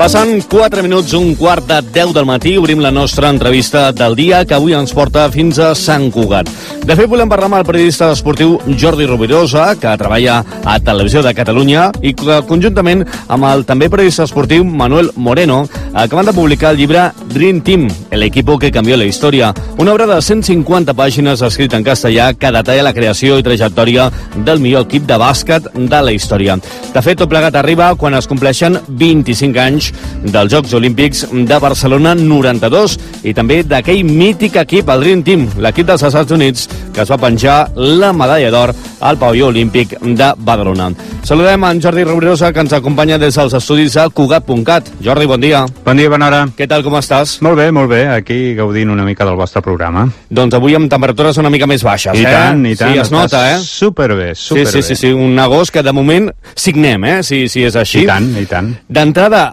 Passen 4 minuts, un quart de 10 del matí, obrim la nostra entrevista del dia, que avui ens porta fins a Sant Cugat. De fet, volem parlar amb el periodista esportiu Jordi Rovirosa, que treballa a Televisió de Catalunya, i que conjuntament amb el també periodista esportiu Manuel Moreno acaben de publicar el llibre Dream Team, el equipo que cambió la història, una obra de 150 pàgines escrita en castellà que detalla la creació i trajectòria del millor equip de bàsquet de la història. De fet, tot plegat arriba quan es compleixen 25 anys dels Jocs Olímpics de Barcelona 92 i també d'aquell mític equip, el Dream Team, l'equip dels Estats Units, que es va penjar la medalla d'or al pavelló olímpic de Badalona. Saludem en Jordi Rovirosa, que ens acompanya des dels estudis a Cugat.cat. Jordi, bon dia. Bon dia, bona hora. Què tal, com estàs? Molt bé, aquí gaudint una mica del vostre programa. Doncs avui amb temperatures una mica més baixes, I tant, i tant. Sí, es nota, Superbé. Sí, un agost que de moment signem, si és així. I tant. D'entrada,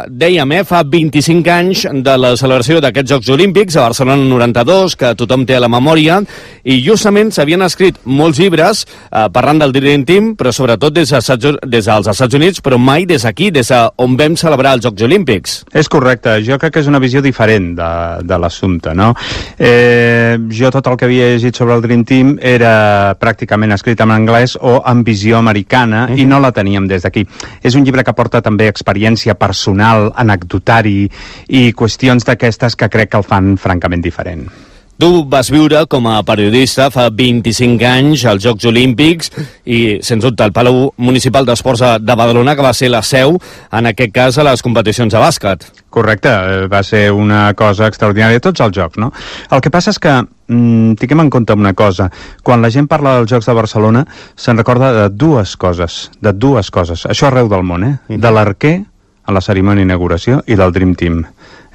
dèiem, fa 25 anys de la celebració d'aquests Jocs Olímpics a Barcelona 92, que tothom té a la memòria, i justament s'havien escrit molts llibres parlant del Dream Team, però sobretot des dels Estats Units, però mai des d'aquí, des on vam celebrar els Jocs Olímpics. És correcte, jo crec que és una visió diferent de l'assumpte, no? Jo tot el que havia llegit sobre el Dream Team era pràcticament escrit en anglès o en visió americana, i no la teníem des d'aquí. És un llibre que porta també experiència personal, anecdotari i qüestions d'aquestes que crec que el fan francament diferent. Tu vas viure com a periodista fa 25 anys als Jocs Olímpics i, sens dubte, el Palau Municipal d'Esports de Badalona, que va ser la seu, en aquest cas, a les competicions de bàsquet. Correcte, va ser una cosa extraordinària, tots els jocs, no? El que passa és que, tinguem en compte una cosa, quan la gent parla dels Jocs de Barcelona, se'n recorda de dues coses, això arreu del món, de l'arquer, a la cerimònia d'inauguració, i del Dream Team.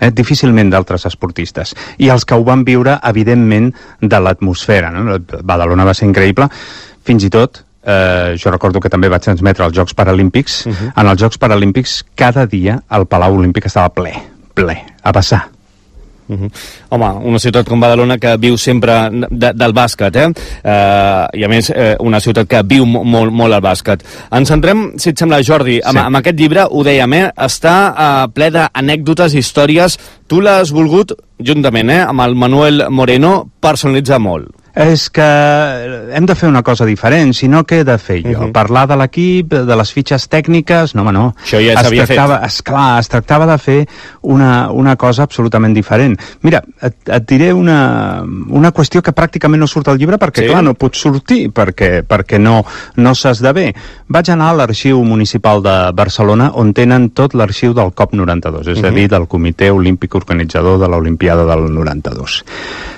Difícilment d'altres esportistes. I els que ho van viure, evidentment, de l'atmosfera, no? Badalona va ser increïble, fins i tot, jo recordo que també vaig transmetre els Jocs Paralímpics. En els Jocs Paralímpics, cada dia el Palau Olímpic estava ple, a vessar. Home, una ciutat com Badalona que viu sempre del bàsquet, i a més una ciutat que viu molt al bàsquet. Ens centrem, si et sembla, Jordi, amb aquest llibre, ho dèiem, està ple d'anècdotes, històries. Tu l'has volgut, juntament amb el Manuel Moreno, personalitzar molt. És que hem de fer una cosa diferent, si no, què he de fer jo? Parlar de l'equip, de les fitxes tècniques? No, home, no. Això ja s'havia fet. Esclar, es tractava de fer una cosa absolutament diferent. Mira, et diré una qüestió que pràcticament no surt al llibre, perquè, clar, no pot sortir, perquè no s'esdevé. Vaig anar a l'Arxiu Municipal de Barcelona, on tenen tot l'arxiu del COP 92, és a dir, del Comitè Olímpic Organitzador de l'Olimpiada del 92.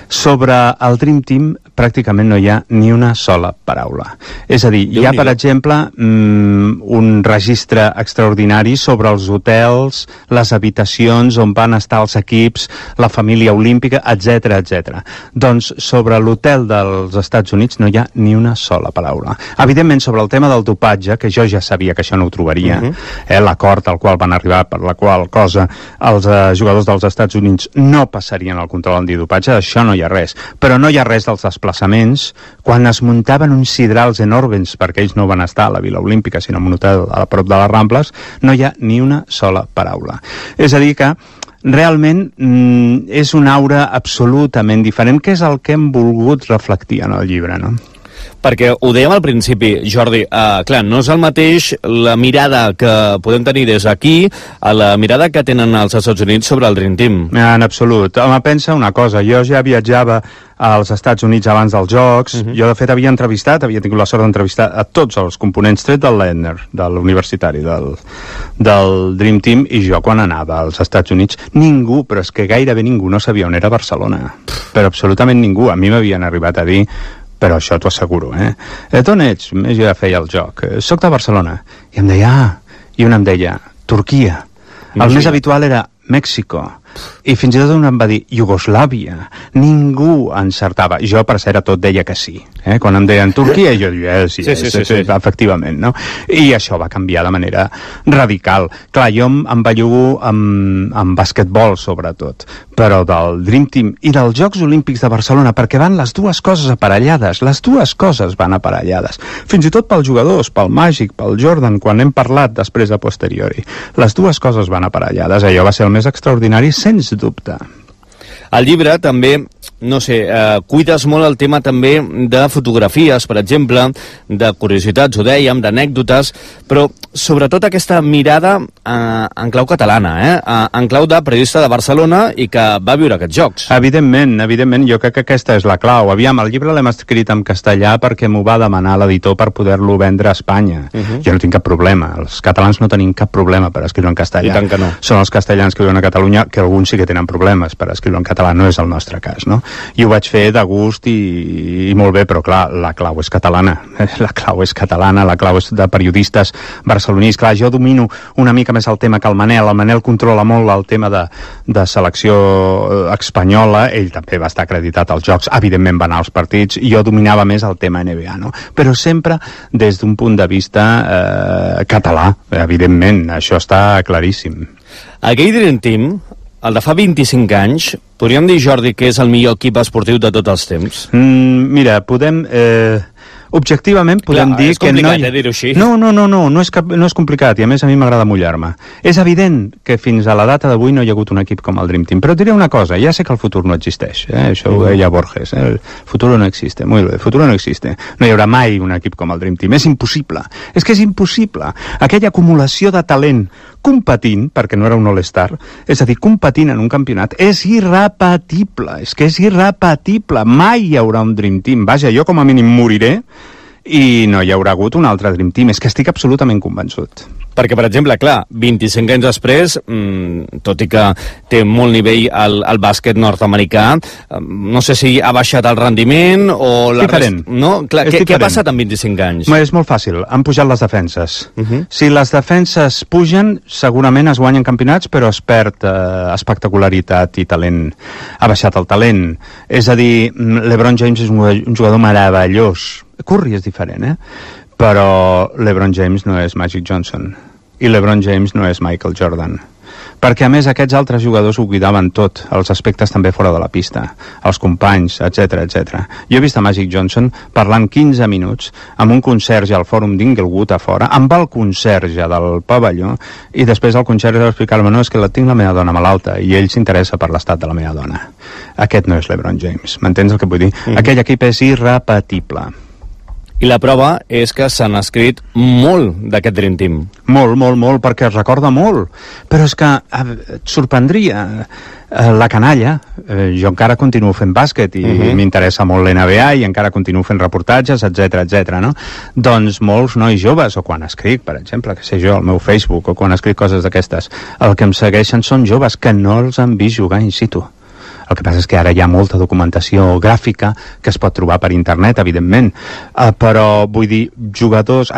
Sobre el Dream Team pràcticament no hi ha ni una sola paraula. És a dir, hi ha, per exemple, un registre extraordinari sobre els hotels, les habitacions on van estar els equips, la família olímpica, etc. Doncs sobre l'hotel dels Estats Units no hi ha ni una sola paraula. Evidentment, sobre el tema del dopatge, que jo ja sabia que això no ho trobaria, l'acord al qual van arribar, per la qual cosa els jugadors dels Estats Units no passarien el control antidopatge, això no hi ha res. Però no hi ha res dels desplaçaments, quan es muntaven uns sidrals enormes, perquè ells no van estar a la Vila Olímpica, sinó en un hotel a prop de les Rambles, no hi ha ni una sola paraula. És a dir que realment és una aura absolutament diferent, que és el que hem volgut reflectir en el llibre, no? Perquè ho dèiem al principi, Jordi, clar, no és el mateix la mirada que podem tenir des d'aquí a la mirada que tenen els Estats Units sobre el Dream Team. En absolut. Home, pensa una cosa, jo ja viatjava als Estats Units abans dels Jocs, jo de fet havia tingut la sort d'entrevistar a tots els components, tret del Ledner, de l'universitari, del Dream Team, i jo quan anava als Estats Units, ningú, però és que gairebé ningú no sabia on era Barcelona, però absolutament ningú. A mi m'havien arribat a dir, però això t'ho asseguro, d'on ets? Jo ja feia el joc. Soc de Barcelona. I em deia, i un em deia, Turquia. El més habitual era Mèxico. I fins i tot un em va dir Iugoslàvia. Ningú encertava. Jo, per cert, a tot deia que sí. Quan em deien Turquia, jo diria sí, efectivament, no? I això va canviar de manera radical. Clar, jo em bellugo amb basquetbol, sobretot, però del Dream Team i dels Jocs Olímpics de Barcelona, perquè van les dues coses aparellades. Les dues coses van aparellades. Fins i tot pels jugadors, pel Màgic, pel Jordan, quan hem parlat després a posteriori. Les dues coses van aparellades. Allò va ser el més extraordinari, sens dubte. Al llibre també, no sé, cuides molt el tema també de fotografies, per exemple, de curiositats, ho dèiem, d'anècdotes, però sobretot aquesta mirada en clau catalana, en clau de periodista de Barcelona i que va viure aquests jocs. Evidentment, jo crec que aquesta és la clau. Aviam, el llibre l'hem escrit en castellà perquè m'ho va demanar l'editor per poder-lo vendre a Espanya. Jo no tinc cap problema. Els catalans no tenim cap problema per escriure en castellà. I tant que no. Són els castellans que viuen a Catalunya, que alguns sí que tenen problemes per escriure en català, no és el nostre cas, no? I ho vaig fer de gust i molt bé, però clar, la clau és catalana. La clau és catalana, la clau és de periodistes barcelonins. Clar, jo domino una mica més el tema que el Manel. El Manel controla molt el tema de selecció espanyola. Ell també va estar acreditat als Jocs, evidentment va anar als partits, i jo dominava més el tema NBA, no? Però sempre des d'un punt de vista català, evidentment, això està claríssim. Aquell Dream Team, el de fa 25 anys, podríem dir, Jordi, que és el millor equip esportiu de tots els temps? Mira, podem... objectivament podem dir que no... És complicat, dir-ho així. No és complicat, i a més a mi m'agrada mullar-me. És evident que fins a la data d'avui no hi ha hagut un equip com el Dream Team, però et diré una cosa, ja sé que el futur no existeix, això ho deia Borges, el futur no existe, muy bé, el futur no existe, no hi haurà mai un equip com el Dream Team, és impossible, és que és impossible. Aquella acumulació de talent competint, perquè no era un all-star, és a dir, competint en un campionat, és irrepetible, és que és irrepetible, mai hi haurà un Dream Team. Vaja, jo com a mínim moriré i no hi haurà hagut un altre Dream Team, és que estic absolutament convençut. Perquè, per exemple, clar, 25 anys després, tot i que té molt nivell el bàsquet nord-americà, no sé si ha baixat el rendiment o... Diferent. No? Clar, què ha passat en 25 anys? És molt fàcil, han pujat les defenses. Si les defenses pugen, segurament es guanyen campionats, però es perd espectacularitat i talent. Ha baixat el talent. És a dir, LeBron James és un jugador meravellós. Curry és diferent, però LeBron James no és Magic Johnson i LeBron James no és Michael Jordan, perquè a més aquests altres jugadors ho cuidaven tot, els aspectes també fora de la pista, els companys, etc. Jo he vist a Magic Johnson parlant 15 minuts amb un conserge al fòrum d'Inglewood a fora, amb el conserge del pavelló, i després el conserge va explicar-me, no, és que tinc la meva dona malalta i ell s'interessa per l'estat de la meva dona. Aquest no és LeBron James, m'entens el que vull dir? Aquell equip és irrepetible. I la prova és que s'han escrit molt d'aquest Dream Team. Molt, perquè es recorda molt. Però és que et sorprendria la canalla. Jo encara continuo fent bàsquet i m'interessa molt l'NBA i encara continuo fent reportatges, etc. no? Doncs molts nois joves, o quan escric, per exemple, que sé jo, al meu Facebook, o quan escric coses d'aquestes, el que em segueixen són joves que no els han vist jugar in situ. El que passa és que ara hi ha molta documentació gràfica que es pot trobar per internet, evidentment, però vull dir, joves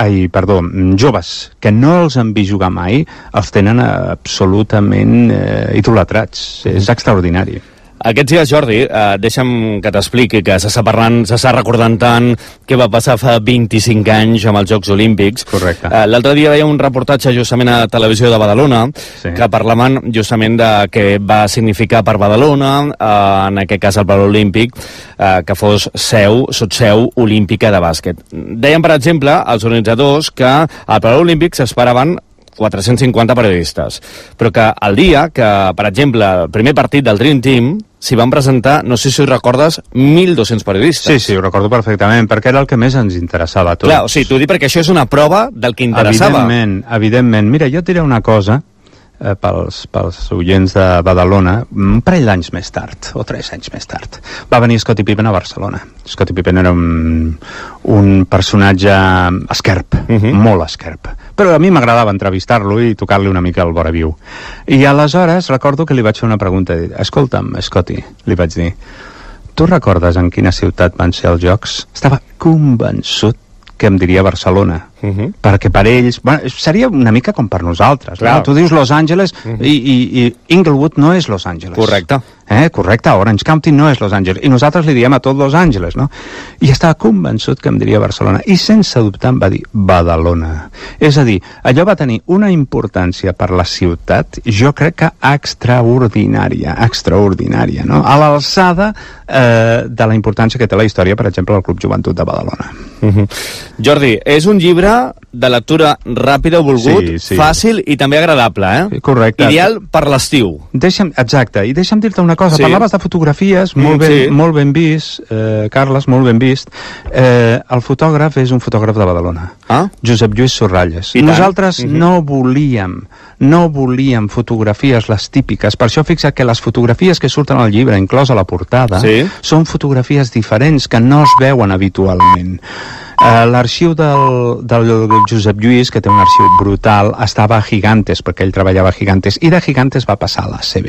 que no els han vist jugar mai, els tenen absolutament idolatrats. És extraordinari. Aquests dies, Jordi, deixa'm que t'expliqui que s'està recordant tant què va passar fa 25 anys amb els Jocs Olímpics. Correcte. L'altre dia veia un reportatge justament a Televisió de Badalona, que parlaven justament de què va significar per Badalona, en aquest cas el Palau Olímpic, que fos sotseu olímpica de bàsquet. Deien, per exemple, els organitzadors que al Palau Olímpic s'esperaven 450 periodistes, però que el dia que, per exemple, el primer partit del Dream Team s'hi van presentar, no sé si ho recordes, 1.200 periodistes. Sí, ho recordo perfectament, perquè era el que més ens interessava a tots. Clar, o sigui, t'ho dic perquè això és una prova del que interessava. Evidentment. Mira, jo et diré una cosa, pels oients de Badalona, un parell d'anys més tard, o 3 anys més tard, va venir Scottie Pippen a Barcelona. Scottie Pippen era un personatge esquerp, molt esquerp, però a mi m'agradava entrevistar-lo i tocar-li una mica el vora viu. I aleshores recordo que li vaig fer una pregunta, escolta'm, Scottie, li vaig dir, tu recordes en quina ciutat van ser els Jocs? Estava convençut que em diria Barcelona. perquè per ells... Bueno, seria una mica com per nosaltres. Clar. No? Tu dius Los Angeles i Inglewood no és Los Angeles. Correcte. Correcte, Orange County no és Los Angeles. I nosaltres li diem a tot Los Angeles, no? I estava convençut que em diria Barcelona. I sense dubtar em va dir Badalona. És a dir, allò va tenir una importància per la ciutat, jo crec que extraordinària, no? A l'alçada de la importància que té la història, per exemple, del Club Joventut de Badalona. Jordi, és un llibre de lectura ràpida, volgut, fàcil i també agradable, eh? Correcte. Ideal per l'estiu. Exacte, i deixa'm dir-te una cosa, parlaves de fotografies, molt ben vist, Carles, molt ben vist. El fotògraf és un fotògraf de Badalona, Josep Lluís Sorralles. Nosaltres no volíem fotografies les típiques, per això fixa't que les fotografies que surten al llibre, inclosa la portada, són fotografies diferents que no es veuen habitualment. L'arxiu del Josep Lluís, que té un arxiu brutal, estava a Gigantes, perquè ell treballava a Gigantes, i de Gigantes va passar a l'ACB,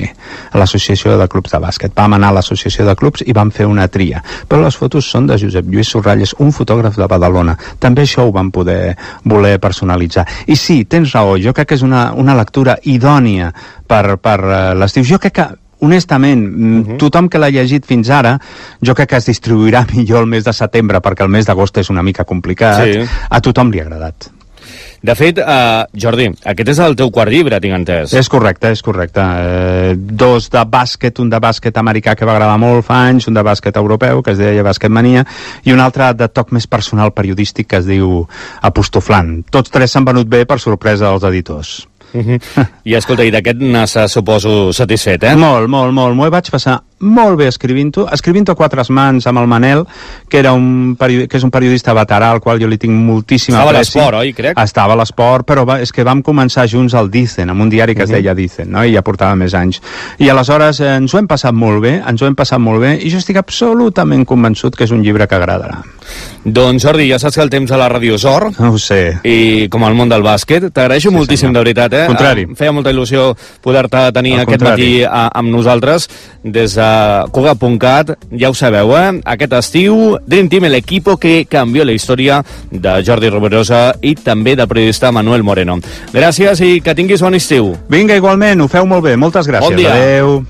a l'Associació de Clubs de Bàsquet. Vam anar a l'Associació de Clubs i vam fer una tria. Però les fotos són de Josep Lluís Sorralles, un fotògraf de Badalona. També això ho vam voler personalitzar. I sí, tens raó, jo crec que és una lectura idònia per l'estiu. Jo crec que honestament, tothom que l'ha llegit fins ara, jo crec que es distribuirà millor el mes de setembre, perquè el mes d'agost és una mica complicat. A tothom li ha agradat. De fet, Jordi, aquest és el teu quart llibre, tinc entès. És correcte. Dos de bàsquet, un de bàsquet americà que va agradar molt fa anys, un de bàsquet europeu, que es deia Bàsquet Mania, i un altre de toc més personal periodístic que es diu Apostoflant. Tots tres s'han venut bé per sorpresa dels editors. I escolta, i d'aquest n'has, suposo, satisfet, eh? Molt. M'ho vaig passar molt bé escrivint-ho a quatre mans amb el Manel, que és un periodista veterà al qual jo li tinc moltíssima apreci. Estava a l'Esport, oi, crec? Estava a l'Esport, però és que vam començar junts al Dicen, amb un diari que es deia Dicen, no? I ja portava més anys. I aleshores ens ho hem passat molt bé, i jo estic absolutament convençut que és un llibre que agradarà. Doncs, Jordi, ja saps que el temps a la ràdio és or. Ho sé. I com al món del bàsquet, t'agraeixo moltíssim, de veritat, eh? Contrari. Feia molta il·lusió poder-te tenir aquest matí amb nosaltres des de Cugat.cat, ja ho sabeu, eh? Aquest estiu, Dream Team, l'equipo que canvió la història de Jordi Rovirosa i també del periodista Manuel Moreno. Gràcies i que tinguis bon estiu. Vinga, igualment, ho feu molt bé. Moltes gràcies. Bon dia. Adéu.